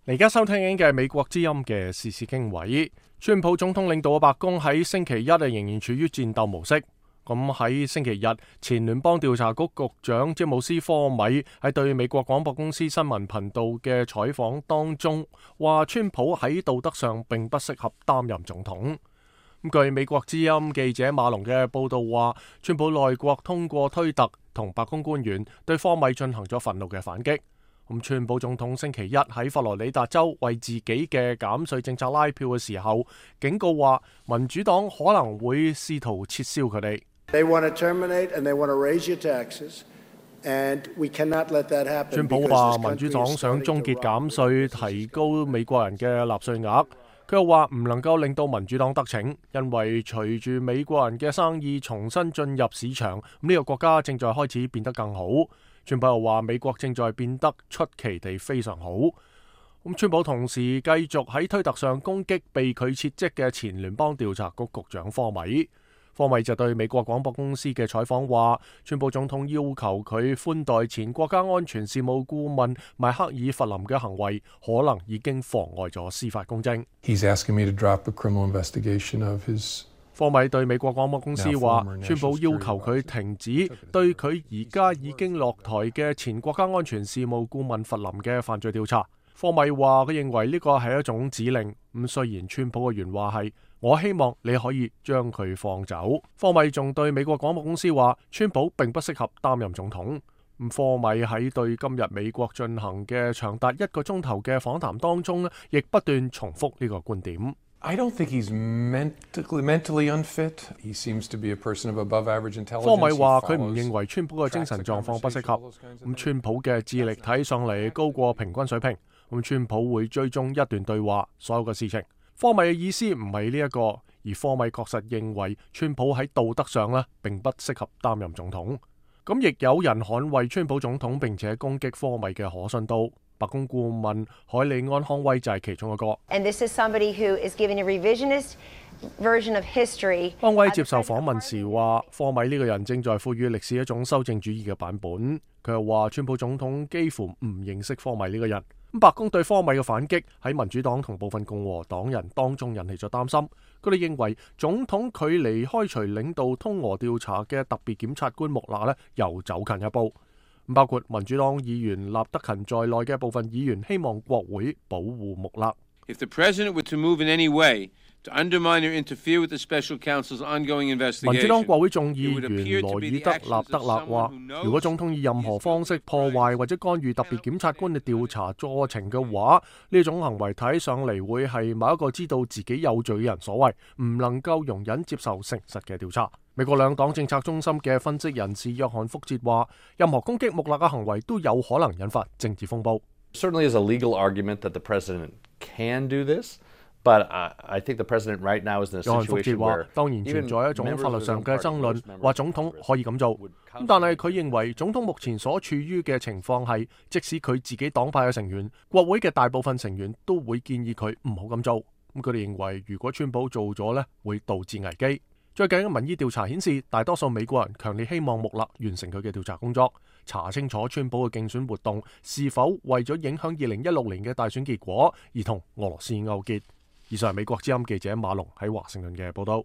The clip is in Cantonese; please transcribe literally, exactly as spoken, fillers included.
而家收聽緊嘅美國之音嘅時事經緯，川普總統領導嘅白宮喺星期一啊仍然處於戰鬥模式。咁喺星期日，前聯邦調查局局長詹姆斯科米喺對美國廣播公司新聞頻道嘅採訪當中，話川普喺道德上並不適合擔任總統。咁據美國之音記者馬龍嘅報道話，川普內閣通過推特同白宮官員對科米進行咗憤怒嘅反擊。咁川普總統星期一喺佛羅里達州為自己嘅減稅政策拉票嘅時候，警告話民主黨可能會試圖撤銷佢哋。川普話民主黨想終結減稅，提高美國人嘅納稅額。佢又話唔能夠令到民主黨得逞，因為隨住美國人嘅生意重新進入市場，咁呢個國家正在開始變得更好。川普又話美國正在變得出奇地非常好。咁川普同時繼續喺推特上攻擊被佢撤職嘅前聯邦調查局局長科米。科米就對美國廣播公司嘅採訪話，川普總統要求佢寬待前國家安全事務顧問邁克爾弗林嘅行為，可能已經妨礙咗司法公正。He's asking me to drop the criminal investigation of his科米對美國廣播公司話，川普要求佢停止對佢而家已經落台嘅前國家安全事務顧問弗林嘅犯罪調查。科米話佢認為呢個係一種指令。咁雖然川普嘅原話係我希望你可以將佢放走，科米仲對美國廣播公司話，川普並不適合擔任總統。咁科米喺對今日美國進行嘅長達一個鐘頭嘅訪談當中，亦不斷重複呢個觀點。I don't think he's mentally, mentally unfit. He seems to be a person of above average intelligence. 科米話佢唔認為川普嘅精神狀況不適合。咁川普嘅智力睇上嚟高過平均水平。咁川普會追蹤一段對話，所有嘅事情。科米嘅意思唔係呢一個，而科米確實認為川普喺道德上呢並不適合擔任總統。咁亦有人捍衛川普總統，並且攻擊科米嘅可信度。白宮顧問海利安康威就係其中一個。And this is somebody who is giving a revisionist version of history. 康威接受訪問時話，科米呢個人正在賦予歷史一種修正主義嘅版本。佢又話，川普總統幾乎唔認識科米呢個人。咁白宮對科米嘅反擊喺民主黨同部分共和黨人當中引起咗擔心。佢哋認為總統距離開除領導通俄調查嘅特別檢察官穆勒呢又走近一步。包括民主黨議員納德勤在內嘅部分議員希望國會保護穆勒。If the president were to move in any way to undermine or interfere with the special counsel's ongoing investigation, 民主黨國會眾議員羅爾德納德勒話，如果總統以任何方式破壞或者干預特別檢察官嘅調查過程嘅話，呢種行為睇上嚟會係某一個知道自己有罪嘅人所為，唔能夠容忍接受誠實嘅調查。美國兩黨政策中心嘅分析人士約翰福哲話，任何攻擊穆勒嘅行為都有可能引發政治風暴。Certainly is a legal argument that the president can do this, but I think the president right now is in a situation where 約翰福哲話，當然存在一種法律上嘅爭論，話總統可以咁做。咁但係佢認為總統目前所處於嘅情況係，即使佢自己黨派嘅成員、國會嘅大部分成員都會建議佢唔好咁做。咁佢哋認為，如果川普做咗呢，會導致危機。最近嘅民意調查顯示，大多數美國人強烈希望穆勒完成佢嘅調查工作，查清楚川普嘅競選活動是否為咗影響二零一六年嘅大選結果而同俄羅斯勾結。以上係美國之音記者馬龍喺華盛頓嘅報道。